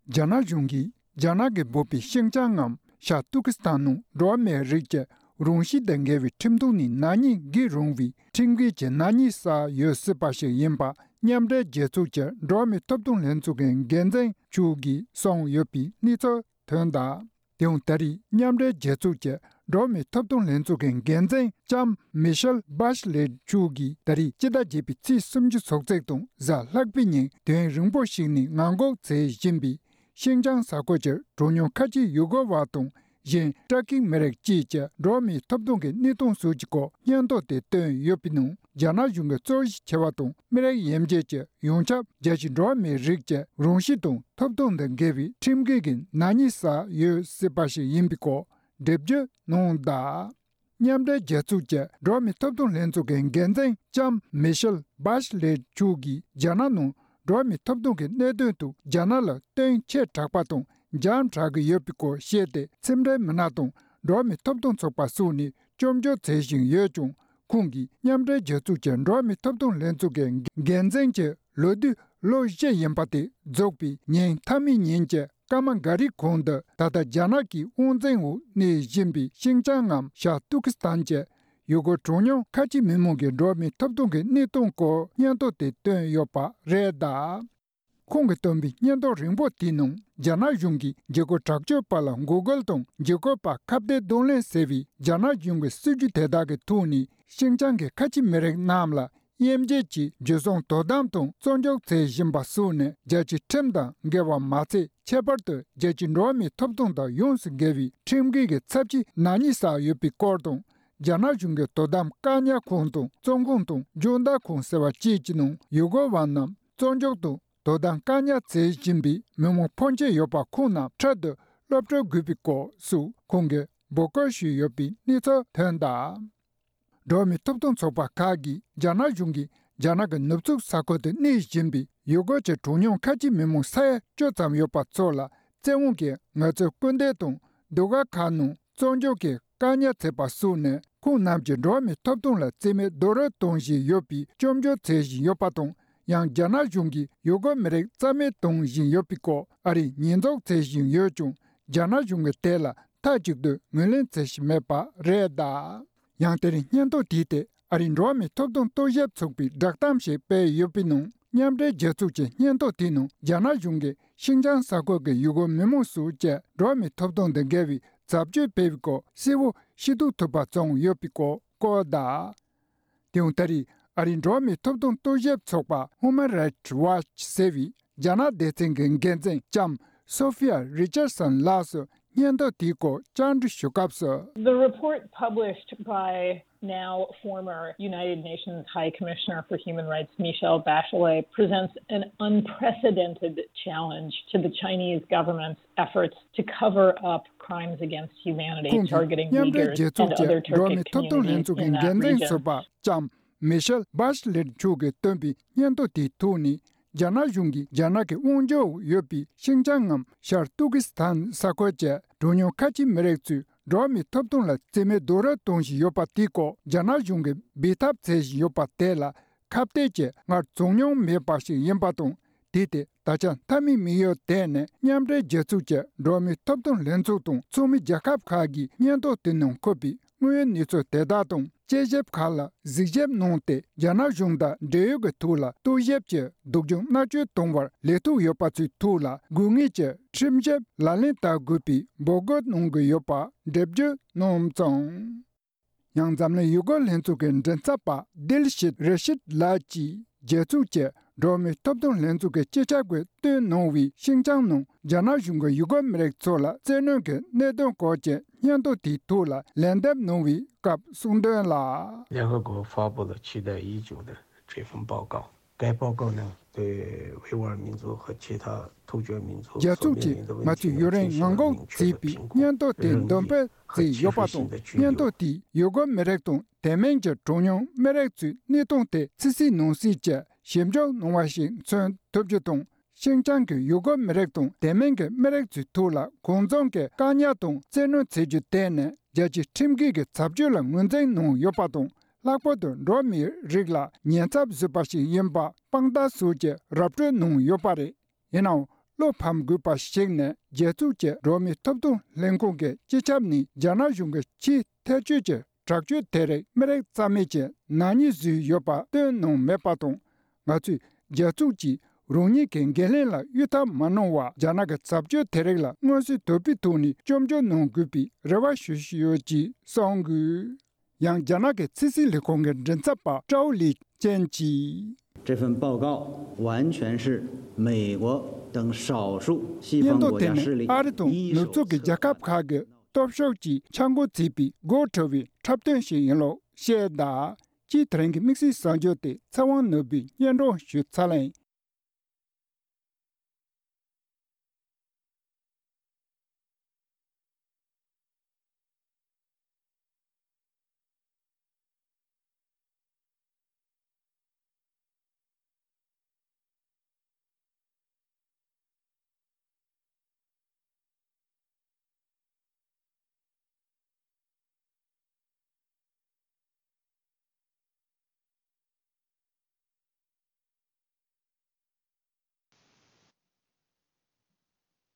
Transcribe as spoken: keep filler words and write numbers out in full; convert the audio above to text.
རྒྱ་ནག་གཞུང་གིས་རྒྱ་ནག་གིས་འབོད་པའི་ཤིན་ཅང་ངམ་ཤར་ཏུར་ཀི་སི་ཐན་ནང་འགྲོ་བ་མིའི་རིགས་ཀྱི་རང་གཤིས་དང་འགལ་བའི་ཁྲིམས་ཐོག་ནས་ནག་ཉེས་འགེལ་རུང་བའི་ཁྲིམས་འགལ་གྱི་ནག་ཉེས་བསགས་ཡོད་སྲིད་པ་ཞིག་ཡིན་པ་མཉམ་འབྲེལ་རྒྱལ་ཚོགས་ཀྱི་འགྲོ་བ་མིའི་ཐོབ་ཐང་ལྷན་ཚོགས་ཀྱི་འགན་འཛིན་མཆོག་གིས་གསུངས་ཡོད་པའི་གནས་ཚུལ་ཐོན་གདའ། དེའང་ད་རེས་མཉམ་འབྲེལ་རྒྱལ་ཚོགས་ཀྱི་འགྲོ་བ་མིའི་ཐོབ་ཐང་ལྷན་ཚོགས་ཀྱི་འགན་འཛིན་ལྕམ་མི་ཤེལ་བྷ་ཤ་ལེ་མཆོག་གིས་ད་རེས་སྤྱི་ཟླ་བརྒྱད་པའི་ཚེས་སུམ་ཅུ་ཚོགས་ཚེས་དང་གཟའ་ལྷག་པའི་ཉིན་དུས་ཡུན་རིང་པོ་ཞིག་ནས་ངང་སྒུག་བྱེད་བཞིན་པའི་ཤིན་ཅང་ས་ཁུལ་གྱི་གྲངས་ཉུང་ཁ་ཆེ་ཡུ་གུར་བ་དང་གཞན་ཊར་ཀིག་མི་རིགས་བཅས་ཀྱི་འགྲོ་བ་མིའི་ཐོབ་ཐང་གི་གནས་སྟངས་སོགས་ཀྱི་སྐོར་སྙན་ཐོ་དེ་བཏོན་ཡོད་པའི་ནང་རྒྱ་ནག་གཞུང་གི་རྩོད་གཞི་ཆེ་བ་དང་མི་རིགས་དབྱེ་འབྱེད་ཀྱི་ཡོངས་ཁྱབ་རྒྱལ་སྤྱིའི་འགྲོ་བ་མིའི་རིགས་ཀྱི་རང་གཤིས་དང་ཐོབ་ཐང་དང་འགལ་བའི་ཁྲིམས་འགལ་གྱི་ནག་ཉེས་བསགས་ཡོད་སྲིད་པ་ཞིག་ཡིན་པའི་སྐོར་འགྲེལ་བརྗོད་གནང་གདའ། མཉམ་འབྲེལ་རྒྱལ་ཚོགས་ཀྱི་འགྲོ་བ་མིའི་ཐོབ་ཐང་ལྷན་ཚོགས་ཀྱི་འགན་འཛིན་ལྕམ་མི་ཤེལ་བྷ་ཤ་ལེ་མཆོག་གིས་རྒྱ་ནག་ནང་འགྲོ་བ་མིའི་ཐོབ་ཐང་གི་གནད་དོན་དུ་རྒྱ་ནག་ལ་བསྟུན་ཆེ་དྲགས་པ་དང་འཇམ་དྲགས་ཀྱི་ཡོད་པའི་སྐོར་བཤད་དེ། ཕྱི་འབྲེལ་མི་སྣ་དང་འགྲོ་བ་མིའི་ཐོབ་ཐང་ཚོགས་པ་སོགས་ནས་སྐྱོན་བརྗོད་བྱེད་བཞིན་ཡོད་ཀྱང་། ཁོང་གིས་མཉམ་འབྲེལ་རྒྱལ་ཚོགས་ཀྱི་འགྲོ་བ་མིའི་ཐོབ་ཐང་ལྷན་ཚོགས་ཀྱི་འགན་འཛིན་གྱི་ལོ་དུས་ལོ་བཞི་ཡིན་པ་དེ་རྫོགས་པའི་ཉིན་མཐའ་མའི་ཉིན་གྱི་སྐར་མ་འགའ་རེའི་གོང་དུ། ད་ལྟ་རྒྱ་ནག་གི་དབང་འཛིན་འོག་གནས་བཞིན་པའི་ཤིན་ཅང་ངམ་ཤར་ཏུར་ཀི་སི་ཐན་གྱི་ཡུ་གུར་གྲངས་ཉུང་ཁ་ཆེ་མི་མང་གི་འགྲོ་བ་མིའི་ཐོབ་ཐང་གི་གནས་སྟངས་སྐོར་སྙན་ཐོ་དེ་བཏོན་ཡོད་པ་རེད་གདའ། ཁོང་གིས་བཏོན་པའི་སྙན་ཐོ་རིང་པོ་དེའི་ནང་རྒྱ་ནག་གཞུང་གིས་འཇིགས་སྐུལ་དྲག་སྤྱོད་པ་ལ་འགོག་རྒོལ་དང་འཇིགས་སྐུལ་པ་ཁ་གཏད་གདོང་ལེན་ཟེར་བའི་རྒྱ་ནག་གཞུང་གི་སྲིད་ཇུས་དེ་དག་གི་ཐོག་ནས་ཤིན་ཅང་གི་ཁ་ཆེ་མི་རིགས་རྣམས་ལ་དབྱེ་འབྱེད་ཀྱིས་འཇུ་བཟུང་དོ་དམ་དང་བཙོན་འཇུག་བྱེད་བཞིན་པ་སོགས་ནི་རྒྱལ་སྤྱིའི་ཁྲིམས་དང་འགལ་བ་མ་ཚད། ཁྱད་པར་དུ་རྒྱལ་སྤྱིའི་འགྲོ་བ་མིའི་ཐོབ་ཐང་དང་ཡོངས་སུ་འགལ་བའི་ཁྲིམས་འགལ་གྱི་ཚབས་ཆེའི་ནག་ཉེས་བསགས་ཡོད་པའི་སྐོར་དང་། རྒྱ་ནག་གཞུང་གིས་དོ་དམ་བཀག་ཉར་ཁང་དང་བཙོན་ཁང་དང་སྦྱོང་བརྡར་ཁང་ཟེར་བ་བཅས་ཀྱི་ནང་ཡུ་གུར་བ་རྣམས་བཙོན་འཇུག་དང་དོ་དམ་བཀག་ཉར་བྱེད་བཞིན་པའི་མི་མང་ཕོན་ཆེ་ཡོད་པ་ཁོང་རྣམས་འཕྲལ་དུ་གློད་བཀྲོལ་དགོས་པའི་སྐོར་སོགས་ཁོང་གིས་འབོད་སྐུལ་ཞུས་ཡོད་པའི་གནས་ཚུལ་ཐོན་གདའ། འགྲོ་བ་མིའི་ཐོབ་ཐང་ཚོགས་པ་ཁག་གིས་རྒྱ་ནག་གཞུང་གིས་རྒྱ་ནག་གི་ནུབ་ཕྱོགས་ས་ཁུལ་དུ་གནས་བཞིན་པའི་ཡུ་གུར་གྱི་གྲངས་ཉུང་ཁ་ཆེ་མི་མང་ས་ཡ་བཅུ་ཙམ་ཡོད་པ་ཚོ་ལ་བཙན་དབང་གིས་ངལ་རྩོལ་སྐུལ་འདེད་དང་ཟློས་གར་ཁང་ནང་བཙོན་འཇུག་གིས་བཀག་ཉར་བྱས་པ་སོགས་ནི་ཁོང་རྣམས་ཀྱི་འགྲོ་བ་མིའི་ཐོབ་ཐང་ལ་བརྩི་མེད་རྡོག་རོལ་གཏོང་བཞིན་ཡོད་པའི་སྐྱོན་བརྗོད་བྱེད་བཞིན་ཡོད་པ་དང་། ཡང་རྒྱ་ནག་གཞུང་གིས་ཡུ་གུར་མི་རིགས་རྩ་མེད་གཏོང་བཞིན་ཡོད་པའི་སྐོར་ཨ་རིས་ཉེས་འཛུགས་བྱེད་བཞིན་ཡོད་ཀྱང་། རྒྱ་ནག་གཞུང་གིས་དེ་ལ་མཐའ་གཅིག་ཏུ་ངོས་ལེན་བྱེད་བཞིན་མེད་པ་རེད་གདའ། ཡང་དེ་རིང་སྙན་ཐོ་དེའི་ཐད་ཨ་རིའི་འགྲོ་བ་མིའི་ཐོབ་ཐང་རྟོག་ཞིབ་ཚོགས་པའི་བསྒྲགས་གཏམ་ཞིག་སྤེལ་ཡོད་པའི་ནང་། མཉམ་འབྲེལ་རྒྱལ་ཚོགས་ཀྱི་སྙན་ཐོ་དེའི་ནང་རྒྱ་ནག་གཞུང་གིས་ཤིན་ཅང་ས་ཁུལ་གྱི་ཡུ་གུར་མི་མང་སོགས་ཀྱི་འགྲོ་བ་མིའི་ཐོབ་ཐང་དང་འགལ་བའི་བྱ་སྤྱོད་སྤེལ་བའི་སྐོར་གསལ་བོ་ཤེས་རྟོགས་ཐུབ་པ་བྱུང་ཡོད་པའི་སྐོར་བཀོད་གདའ། དེ་ཡང་ད་རེས་ཨ་རིའི་འགྲོ་བ་མིའི་ཐོབ་ཐང་རྟོག་ཞིབ་ཚོགས་པ་Human Rights Watch ཟེར་བའི་རྒྱ་ནག་སྡེ་ཚན་གྱི་འགན་འཛིན་ལྕམ་Sophia Richardson ལགས་སུ་སྙན་ཐོ་དེའི་སྐོར་བཅར་འདྲི་ཞུ་སྐབས་སུ། The report published by now former United Nations High Commissioner for Human Rights Michelle Bachelet presents an unprecedented challenge to the Chinese government's efforts to cover up crimes against humanity, ཁོང་གིས་targeting མཉམ་འབྲེལ་Uyghurs རྒྱལ་ཚོགས་and ཀྱི་other འགྲོ་བ་Turkic མིའི་ཐོབ་ཐང་ལྷན་communities ཚོགས་ཀྱི་in that འགན་འཛིན་region. ཟུར་པ་ལྕམ་Michelle Bachelet མཆོག་གིས་བཏོན་པའི་སྙན་ཐོ་དེའི་ཐོག་ནས། རྒྱ་ནག་གཞུང་གིས་རྒྱ་ནག་གི་དབང་སྒྱུར་འོག་ཡོད་པའི་ཤིན་ཅང་ངམ་ཤར་ཏུར་ཀི་སི་ཐན་ས་ཁུལ་གྱི་གྲངས་ཉུང་ཁ་ཆེའི་མི་རིགས་ཚོའི་འགྲོ་བ་མིའི་ཐོབ་ཐང་ལ་བརྩི་མེད་རྡོག་རོལ་གཏོང་བཞིན་ཡོད་པ་དེའི་སྐོར་རྒྱ་ནག་གཞུང་གིས་འབད་འཐབ་བྱེད་བཞིན་ཡོད་པ་དེ་ལ་ཁ་གཏད་ཀྱིས་སྔར་བྱུང་མྱོང་མེད་པ་ཞིག་ཡིན་པ་དང་། དེ་དེ་ད་ཆ་མཐའ་མའི་དམིགས་ཡུལ་དེ་ནི་མཉམ་འབྲེལ་རྒྱལ་ཚོགས་ཀྱི་འགྲོ་བ་མིའི་ཐོབ་ཐང་ལྷན་ཚོགས་དང་ཚོགས་མི་རྒྱལ་ཁབ་ཁག་གིས་སྙན་ཐོ་དེ་ནང་འཁོད་པའི་དངོས་ཡོད་གནས་ཚུལ་དེ་དག་དང་དཔྱད་ཞིབ་ཁག་ལ་གཟིགས་ཞིབ་གནང་སྟེ། རྒྱ་ནག་གཞུང་དང་འབྲེལ་ཡོད་ཀྱི་ཐོག་ལ་རྟོག་ཞིབ་ཀྱིས་སྡུག་སྦྱོང་མནར་གཅོད་གཏོང་བར་ལས་ཐོག་ཡོད་པ་ཚོའི་ཐོག་ལ་དགོས་ངེས་ཀྱི་ཁྲིམས་ཞིབ་ལག་ལེན་བསྟར་དགོས་པའི་འབོད་སྐུལ་གནང་གི་ཡོད་པ་འགྲེལ་བརྗོད་གནང་སོང་། ཡང་འཛམ་གླིང་ཡུ་གུར་ལྷན་ཚོགས་ཀྱི་མགྲིན་ཚབ་པ་དིལ་ཤིད་རི་ཤིད་ལགས་ཀྱིས་རྒྱལ་ཚོགས་ཀྱི་འགྲོ་བ་མིའི་ཐོབ་ཐང་ལྷན་ཚོགས་ཀྱི་སྤྱི་ཁྱབ་ཀྱིས་བཏོན་གནང་བའི་ཤིན་ཅང་ནང་རྒྱ་ནག་གཞུང་གིས་ཡུ་གུར་མི་རིགས་ཚོ་ལ་བཙན་གནོན་གྱི་གནད་དོན་སྐོར་གྱི་སྙན་ཐོ་དེའི་ཐོག་ལ་ལན་འདེབས་གནང་བའི་སྐབས་གསུངས་དོན་ལ། 联合国发布的期待已久的这份报告，该报告呢，对维吾尔民族和其他突厥民族 རྒྱལ་ཚོགས་ཀྱིས་ང་ཚོས་ཡུན་རིང་ངང་སྒུག་བྱས་པའི་སྙན་ཐོ་དེ་འདོན་སྤེལ་བྱས་ཡོད་པ་དང་། སྙན་ཐོ་དེས་ཡུ་གུར་མི་རིགས་དང་དེ་མིན་གྱི་གྲངས་ཉུང་མི་རིགས་ཚོའི་གནས་སྟངས་དེ་ཕྱི་གསལ་ནང་གསལ་གྱི་ཞིབ་འཇུག་གནང་བ་ཞིག་མཚོན་ཐུབ་རྒྱུ་དང་། ཤིན་ཅང་གི་ཡུ་གུར་མི་རིགས་དང་དེ་མིན་གྱི་མི་རིགས་ཚོའི་ཐོག་ལ་གང་འཚམ་གྱི་བཀག་ཉར་དང་བཙན་གནོན་བྱེད་རྒྱུ་དེ་ནི་རྒྱལ་སྤྱིའི་ཁྲིམས་འགལ་གྱི་བྱ་སྤྱོད་ལ་ངོས་འཛིན་གནང་ཡོད་པ་དང་། ལྷག་པར་དུ་འགྲོ་བ་མིའི་རིགས་ལ་ཉེན་ཚབས་བཟོས་པ་ཞིག་ཡིན་པ་དཔང་རྟགས་སོགས་ཀྱིས་ར་སྤྲོད་གནང་ཡོད་པ་རེད། ཡིན་ནའང་ བློ་ཕམ་དགོས་པ་ཞིག་ནི། རྒྱལ་ཚོགས་ཀྱི་འགྲོ་བ་མིའི་ཐོབ་ཐང་ལྷན་ཁང་གི་སྤྱི་ཁྱབ་ནས་རྒྱ་ནག་གཞུང་གི་ཆེས་ཐལ་སྐྱོད་ཀྱི་དྲག་སྤྱོད་དེ་རིགས་མི་རིགས་རྩ་མེད་ཀྱི་ནག་ཉེས་བཟོས་ཡོད་པ་སྟོན་གནང་མེད་པ་དང་། ང་ཚོས་རྒྱལ་ཚོགས་ཀྱིས་རང་ཉིད་ཀྱི་འགན་ལེན་ལ་གཡོལ་ཐབས་མ་གནང་བར། རྒྱ་ནག་གི་བྱ་སྤྱོད་དེ་རིགས་ལ་མངོན་གསལ་དོད་པོའི་ཐོག་ནས་སྐྱོན་བརྗོད་གནང་དགོས་པའི་རེ་བ་ཞུ་བཞིན་ཡོད་ཅེས་གསུངས་དགོས། ཡང་རྒྱ་ནག་གི་ཕྱི་སྲིད་ལས་ཁུངས་ཀྱི་མགྲིན་ཚབ་པ་ཀྲའོ་ལི་ཅན་གྱིས། 这份报告完全是美国等少数西方国家势力一手策划的。 སྙན་ཐོ་དེ་ནི་ཨ་རི་དང་ནུབ་ཕྱོགས་ཀྱི་རྒྱལ་ཁབ་ཁག་གི་སྟོབས་ཤུགས་ཀྱིས་འཆར་འགོད་བྱས་པའི་དགོད་བྲོ་བའི་འཁྲབ་སྟོན་ཞིག་ཡིན་ལུགས་བཤད་གདའ། སྤྱིར་དེ་རིང་གི་དམིགས་བསལ་གསར་འགྱུར་དེ་ཚེ་དབང་ནོར་བུས་སྙན་སྒྲོན་ཞུས་ཚར་ལེ།